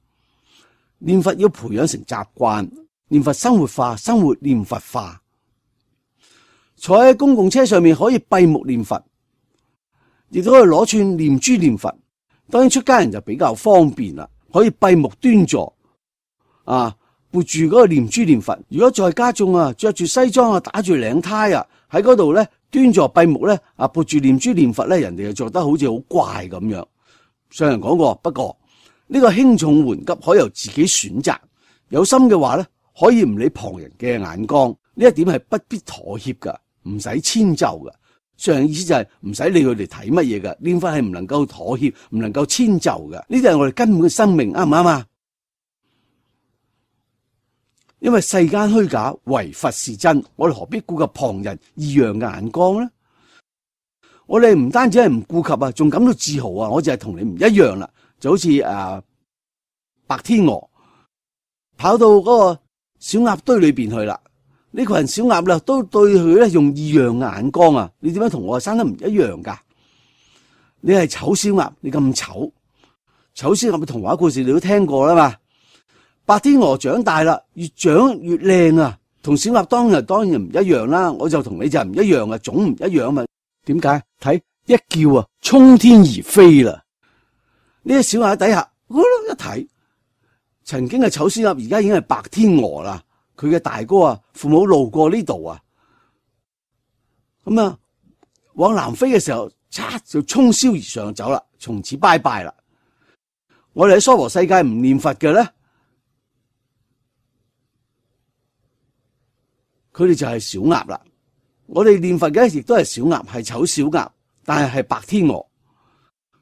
念佛要培養成習慣，念佛生活化，生活念佛化。坐喺公共車上面可以閉目念佛，亦都可以攞串念珠念佛。當然出家人就比較方便啦，可以閉目端坐，閉撥住嗰個念珠念佛。如果在家中啊，着住西裝啊，打住領呔啊，喺嗰度咧端坐閉目咧啊，撥住念珠念佛咧，人哋就覺得好似好怪咁樣。上人講過，不過呢個輕重緩急可由自己選擇，有心嘅話咧，可以唔理旁人嘅眼光，呢一點係不必妥協噶，唔使遷就噶。上人意思就係唔使理佢哋睇乜嘢噶，念佛係唔能夠妥協，唔能夠遷就噶，呢啲係我哋根本嘅生命，啱唔啱啊？因為世間虛假，唯佛是真，我哋何必顧及旁人異樣嘅眼光呢？我哋唔單止係唔顧及啊，仲感到自豪啊！我就係同你唔一樣啦，就好似白天鵝跑到嗰個小鴨堆裏邊去啦。呢群小鴨啦，都對佢咧用異樣嘅眼光啊！你點樣同我生得唔一樣噶？你係醜小鴨，你咁醜，醜小鴨嘅童話故事你都聽過啦嘛？白天鵝長大啦，越長越靚啊！同小鴨當然唔一樣啦，我就同你就唔一樣啊，種唔一樣嘛。點解？睇一叫啊，衝天而飛啦！呢隻小鴨底下，一睇，曾經係醜小鴨，而家已經係白天鵝啦。佢嘅大哥啊，父母路過呢度啊，咁啊往南飛嘅時候，嚓就衝霄而上走啦，從此拜拜啦。我哋喺娑婆世界唔念佛嘅咧，佢哋就係小鴨啦。我哋念佛嘅亦都係小鴨，係醜小鴨，但係白天鵝。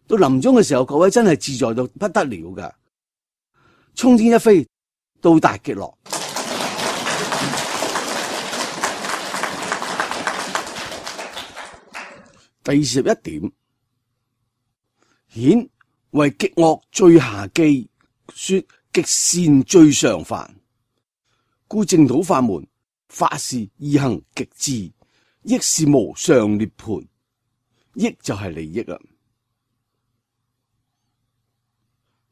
到臨終嘅時候，各位真係自在到不得了噶，衝天一飛，到達極樂。第21點，顯為極惡最下機，說極善最上凡，故淨土法門，法是易行極致，益是無上涅槃，益就係利益啦。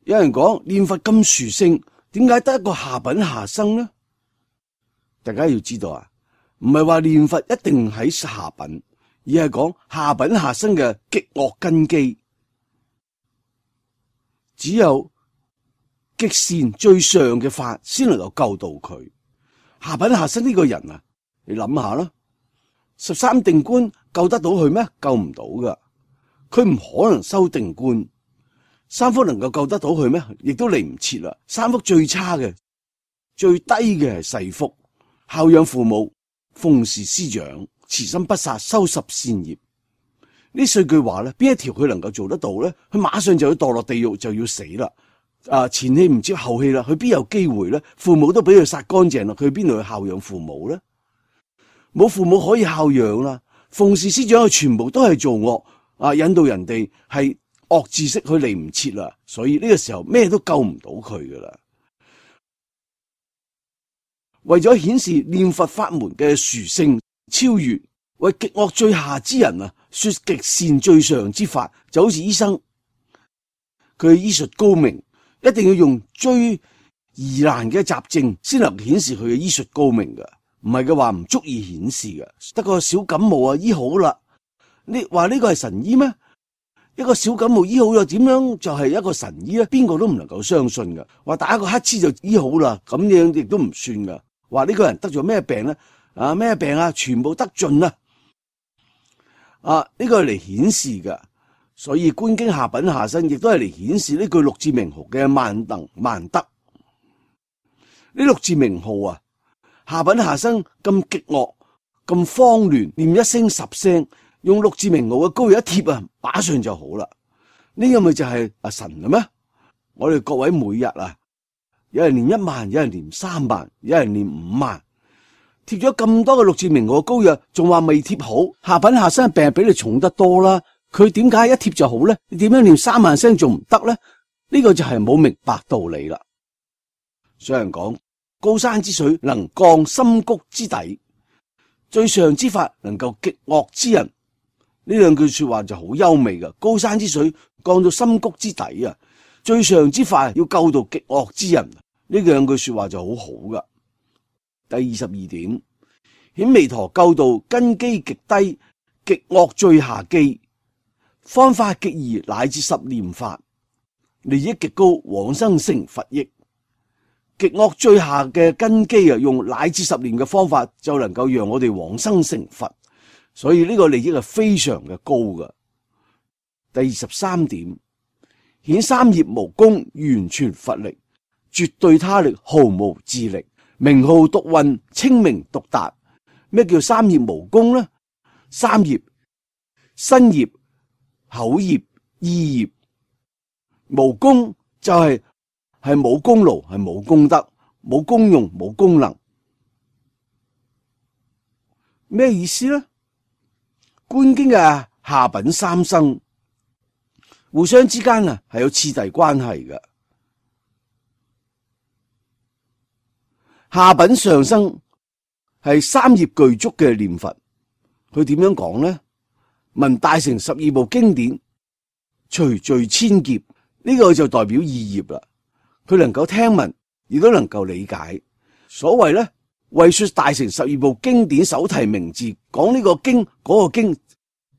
有人講念佛咁殊勝，點解得一個下品下生呢？大家要知道啊，唔係話念佛一定喺下品，而係講下品下生嘅極惡根基，只有極善最上嘅法先能夠救到佢。下品下生呢個人啊，你諗下啦，13定觀救得到佢咩？救唔到噶，佢唔可能修定觀。三福能夠救得到佢咩？亦都嚟唔切啦。三福最差嘅、最低嘅係世福，孝養父母、奉事師長、慈心不殺、修十善業。呢四句話咧，邊一條佢能夠做得到咧？佢馬上就要墮落地獄，就要死啦。前戲唔接後戲啦，佢邊有機會咧？父母都俾佢殺乾淨啦，佢邊度去孝養父母咧？冇父母可以孝養啦。奉事師長佢全部都係做惡引導人哋係惡知識，佢嚟唔切啦，所以呢個時候咩都救唔到佢噶啦。為咗顯示念佛法門嘅殊勝超越，為極惡最下之人啊，說極善最上之法，就好似醫生，佢醫術高明，一定要用最疑難嘅雜症先能顯示佢嘅醫術高明噶，唔係嘅話唔足以顯示噶。得個小感冒啊，醫好啦，你話呢個係神醫咩？一個小感冒醫好咗，點樣就係一個神醫咧？邊個都唔能夠相信噶。話打一個乞嗤就醫好啦，咁樣亦都唔算噶。話呢個人得咗咩病咧？咩病啊？全部得盡啦。呢個係嚟顯示噶。所以觀經下品下生，亦都係嚟顯示呢句六字名號嘅萬能萬德。呢六字名號啊，下品下生咁極惡咁慌亂，念一聲10聲。用六字名號嘅膏藥一貼啊，馬上就好啦。呢個咪就係神嘅咩？我哋各位每日啊，有人念1萬，有人念3萬，有人念5萬，貼咗咁多嘅六字名號嘅膏藥，仲話未貼好，下品下生嘅病比你重得多啦。佢點解一貼就好咧？你點樣念3萬聲仲唔得咧？呢個就係冇明白道理啦。所以人講高山之水能降深谷之底，最上之法能夠極惡之人。呢兩句說話就好優美噶，高山之水降到深谷之底啊，最上之法要救到極惡之人，呢兩句說話就好好噶。第22點，顯彌陀救度根基極低，極惡最下機，方法極易，乃至10念法，利益極高，往生成佛益。極惡最下嘅根基啊，用乃至10年嘅方法就能夠讓我哋往生成佛，所以呢個利益係非常嘅高㗎。第23點，顯三業無功，完全佛力，絕對他力，毫無自力，名號獨運，清明獨達。咩叫三業無功呢？三業：身業、口業、意業。無功就係冇功勞，係冇功德，冇功用，冇功能。咩意思呢？觀經嘅下品三生互相之間啊係有次第關係嘅。下品上生係三業具足嘅念佛，佢點樣講呢？聞大乘12部經典，隨罪千劫，呢個就代表意業啦。佢能夠聽聞，亦都能夠理解。所謂咧，為說大乘12部經典手提名字，講呢個經嗰個經，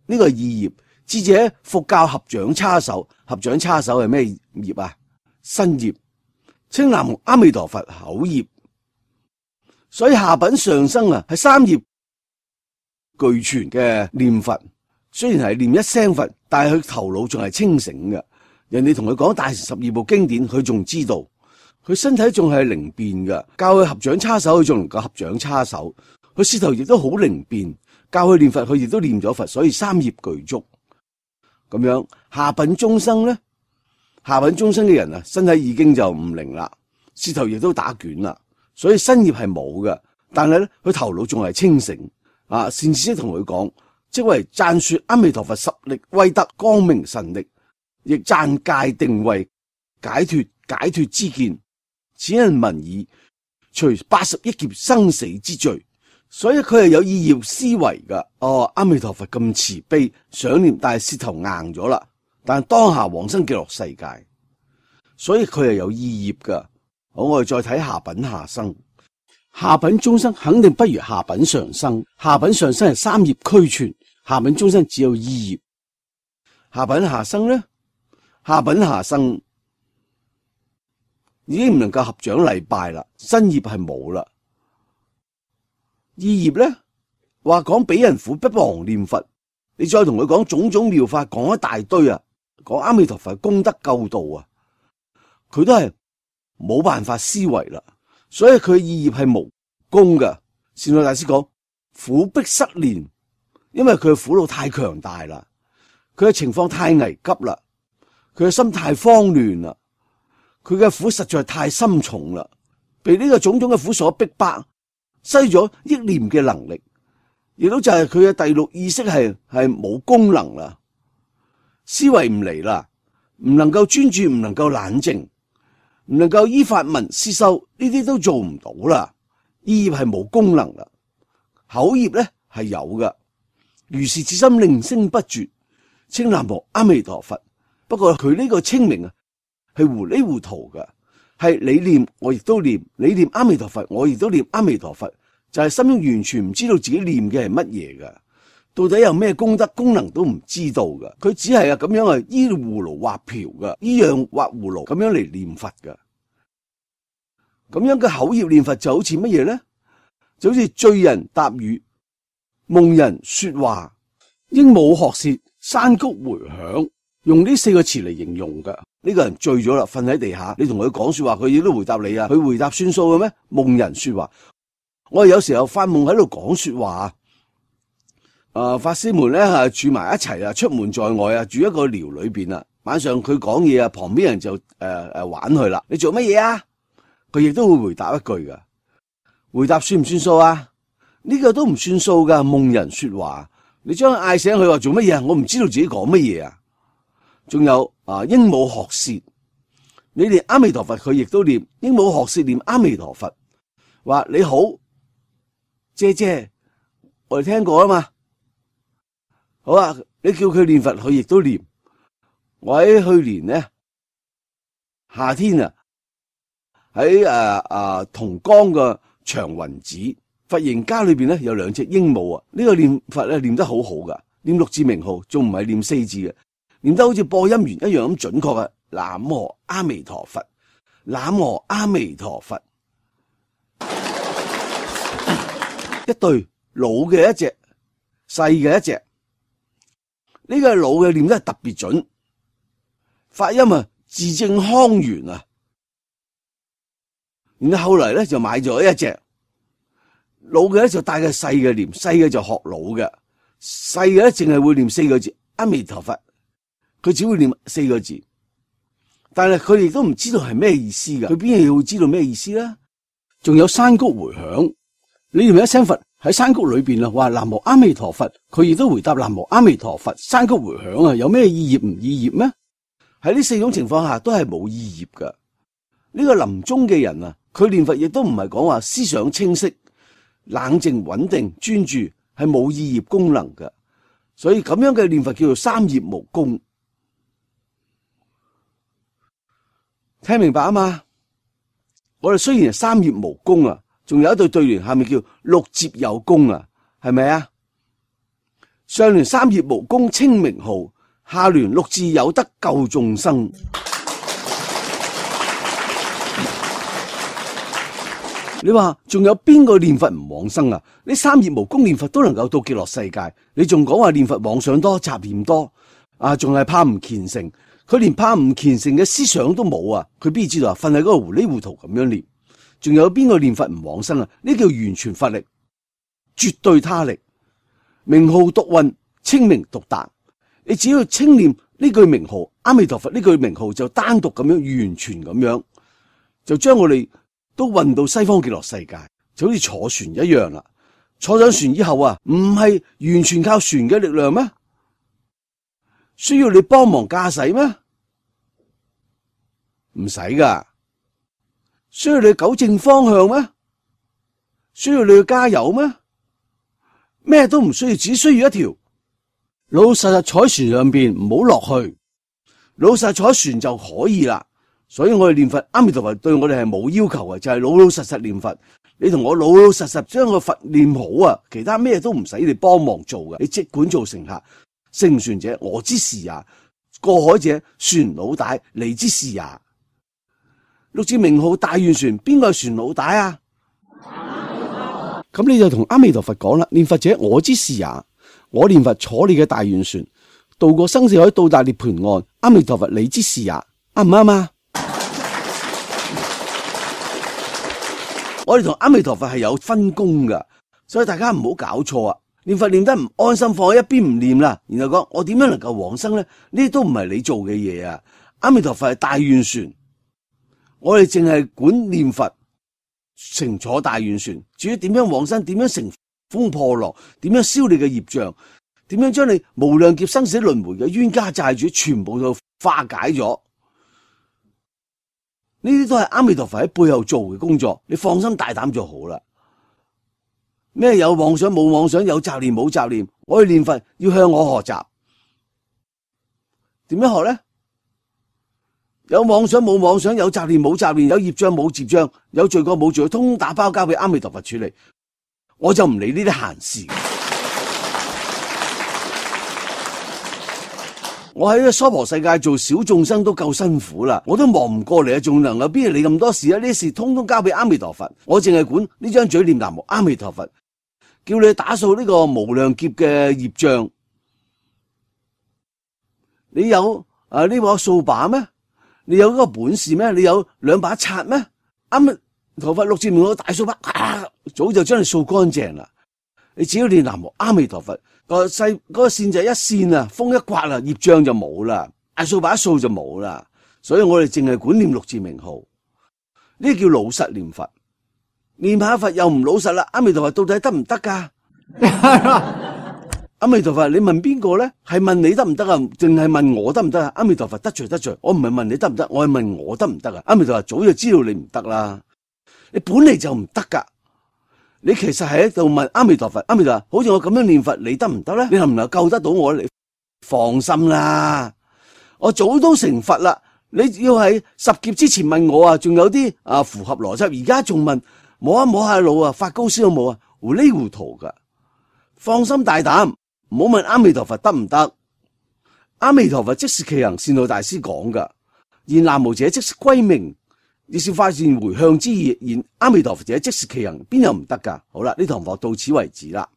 呢個意業。智者復教合掌叉手，合掌叉手係咩業啊？身業。稱南無阿彌陀佛口業。所以下品上生啊，係三業俱全嘅念佛。雖然係念一聲佛，但係佢頭腦仲係清醒嘅。人哋同佢講大乘12部經典，佢仲知道，佢身體仲係靈便嘅。教佢合掌叉手，佢仲能夠合掌叉手。佢舌頭亦都好靈便，教佢念佛，佢亦都念咗佛。所以三業具足。咁樣下品中生咧，下品中生嘅人啊，身體已經就唔靈啦，舌頭亦都打捲啦，所以身業係冇嘅。但係咧，佢頭腦仲係清醒啊。善知識同佢講，即為讚說阿彌陀佛十力威德光明神力，亦讚戒定慧解脫之見，此人聞已，除80億劫生死之罪。所以佢係有意業思維噶。阿彌陀佛咁慈悲，想念但係舌頭硬咗啦。但係當下往生極樂世界，所以佢係有意業噶。好，我哋再睇下品下生。下品中生肯定不如下品上生。下品上生係三業俱全，下品中生只有意業。下品下生呢？下品下生已經唔能夠合掌禮拜啦，身業係冇啦。意業咧，話講俾人苦不忘念佛，你再同佢講種種妙法，講一大堆啊，講阿彌陀佛功德救度啊，佢都係冇辦法思維啦。所以佢意業係無功噶。善導大師講苦逼失練，因為佢嘅苦惱太強大啦，佢嘅情況太危急啦，佢嘅心太慌亂啦，佢嘅苦實在太深重啦，被呢個種種嘅苦所逼迫。失咗憶念嘅能力，亦都就係佢嘅第六意識係冇功能啦，思維唔嚟啦，唔能夠專注，唔能夠冷靜，唔能夠依法聞思修，呢啲都做唔到啦。意業係冇功能啦，口業咧係有嘅，如是至心令聲不絕，稱南無阿彌陀佛。不過佢呢個清明啊，係糊裡糊塗嘅。係你念我亦都念，你念阿彌陀佛我亦都念阿彌陀佛，就係心中完全唔知道自己念嘅係乜嘢噶，到底有咩功德功能都唔知道噶，佢只係咁樣啊依葫蘆畫瓢噶，依樣畫葫蘆咁樣嚟念佛噶。咁樣嘅口業念佛就好似乜嘢咧？就好似醉人答語，夢人說話，鸚鵡學舌，山谷回響，用呢4個詞嚟形容噶。呢個人醉咗啦，瞓喺地下，你同佢講說話，佢亦都回答你啊，佢回答算數嘅咩？夢人說話，我哋有時候發夢喺度講說話法師們咧住埋一齊啊，出門在外啊，住一個寮裏邊啊，晚上佢講嘢啊，旁邊人就玩佢啦。你做乜嘢啊？佢亦都會回答一句噶，回答算唔算數啊？呢個都唔算數噶。夢人說話，你將佢嗌醒佢話做乜嘢啊？我唔知道自己講乜嘢啊。仲有鸚鵡學舌，你念阿彌陀佛，佢亦都念鸚鵡學舌念阿彌陀佛，話你好，姐姐，我哋聽過啊嘛。好啊，你叫佢念佛，佢亦都念。我喺去年呢夏天啊，喺同江嘅長雲寺佛形家裏邊咧有2隻鸚鵡啊。呢個念佛咧念得好好噶，念6字名號，仲唔係念4字嘅。念得好似播音員一樣咁準確啊！南無阿彌陀佛，南無阿彌陀佛，一對，老嘅一隻，細嘅一隻。呢個老嘅念得特別準，發音啊字正腔圓啊。然後後嚟咧就買咗一隻老嘅咧，就帶個細嘅念，細嘅就學老嘅，細嘅咧淨係會念4個字阿彌陀佛，佢只會念4個字，但係佢哋都唔知道係咩意思噶，佢邊嘢會知道咩意思咧？仲有山谷回響，你念一聲佛喺山谷裏邊啊，話南無阿彌陀佛，佢亦都回答南無阿彌陀佛，山谷回響啊，有咩意義唔意義咩？喺呢4種情況下都係冇意義噶。呢個臨終嘅人啊，佢念佛亦都唔係講話思想清晰、冷靜、穩定、專注，係冇意義功能嘅。所以咁樣嘅念佛叫做三業無功。聽明白啊嘛？我哋雖然係三業無功啊，仲有一對對聯下面叫六節有功啊，係咪啊？上聯三業無功稱名號，下聯六字有德救眾生。你話仲有邊個念佛唔往生啊？呢三業無功念佛都能夠到極樂世界，你仲講話念佛妄想多、雜念多啊？仲係怕唔虔誠？佢連怕唔虔誠嘅思想都冇啊！佢邊知道啊？瞓喺嗰個糊裡糊塗咁樣念。仲有邊個念佛唔往生啊？呢叫完全佛力，絕對他力，名號獨運，清明獨達。你只要清念呢句名號阿彌陀佛，呢句名號就單獨咁樣，完全咁樣，就將我哋都運到西方極樂世界，就好似坐船一樣啦。坐上船以後啊，唔係完全靠船嘅力量咩？需要你幫忙駕駛咩？唔使噶。需要你糾正方向咩？需要你去加油咩？咩都唔需要，只需要一條老老實實坐喺船上邊，唔好落去，老老實實坐喺船就可以啦。所以我哋念佛阿彌陀佛對我哋係冇要求嘅，就係老老實實念佛。你同我老老實實將個佛念好啊，其他咩都唔使你幫忙做嘅。你即管做乘客，乘船者我之事也，過海者船老大你之事也。六字名號大願船，邊個係船老大啊？咁你就同阿彌陀佛講啦，念佛者我之事也，我念佛坐你嘅大願船，渡過生死海，到達涅槃岸。阿彌陀佛你之事也，啱唔啱啊？我哋同阿彌陀佛係有分工噶，所以大家唔好搞錯啊！念佛念得唔安心，放喺一邊唔念啦，然後講我點樣能夠往生咧？呢啲都唔係你做嘅嘢啊！阿彌陀佛係大願船。我哋淨係管念佛，乘坐大願船。至於點樣往生，點樣乘風破浪，點樣消你嘅業障，點樣將你無量劫生死輪迴嘅冤家債主全部都化解咗，呢啲都係阿彌陀佛喺背後做嘅工作。你放心大膽就好啦。咩有妄想冇妄想，有雜念冇雜念，我哋念佛要向我學習。點樣學咧？有妄想冇妄想，有雜念冇雜念，有業障冇業障，有罪過冇罪過，通通打包交俾阿彌陀佛處理，我就唔理呢啲閒事。我喺呢個娑婆世界做小眾生都夠辛苦啦，我都忙唔過嚟啊，仲能夠邊度理咁多事啊？呢啲事通通交俾阿彌陀佛，我淨係管呢張嘴念南無阿彌陀佛，叫你打掃呢個無量劫嘅業障。你有呢把掃把咩？你有嗰個本事咩？你有2把刷咩？阿彌陀佛六字名號大掃把，早就將你掃乾淨啦。你只要念南無阿彌陀佛，個線就一線啊，風一刮啊，業障就冇啦，大掃把一掃就冇啦。所以我哋淨係管念六字名號，呢叫老實念佛。念下佛又唔老實啦，阿彌陀佛到底得唔得噶？阿彌陀佛，你問邊個咧？係問你得唔得啊？定係問我得唔得啊？阿彌陀佛得罪得罪，我唔係問你得唔得，我係問我得唔得啊？阿彌陀佛早就知道你唔得啦，你本嚟就唔得噶。你其實係喺度問阿彌陀佛，阿彌陀佛，好似我咁樣念佛，你得唔得咧？你能唔能夠救得到我咧？你放心啦，我早都成佛啦。你要喺10劫之前問我啊，仲有啲符合邏輯，而家仲問摸一摸下腦啊，發高燒都冇啊，糊裡糊塗噶。放心大膽。唔好問阿彌陀佛得唔得？阿彌陀佛即是其行，善導大師講噶。言南無者即是歸命，亦是發現回向之意，然阿彌陀佛者即是其行，邊有唔得噶？好啦，呢堂課到此為止啦。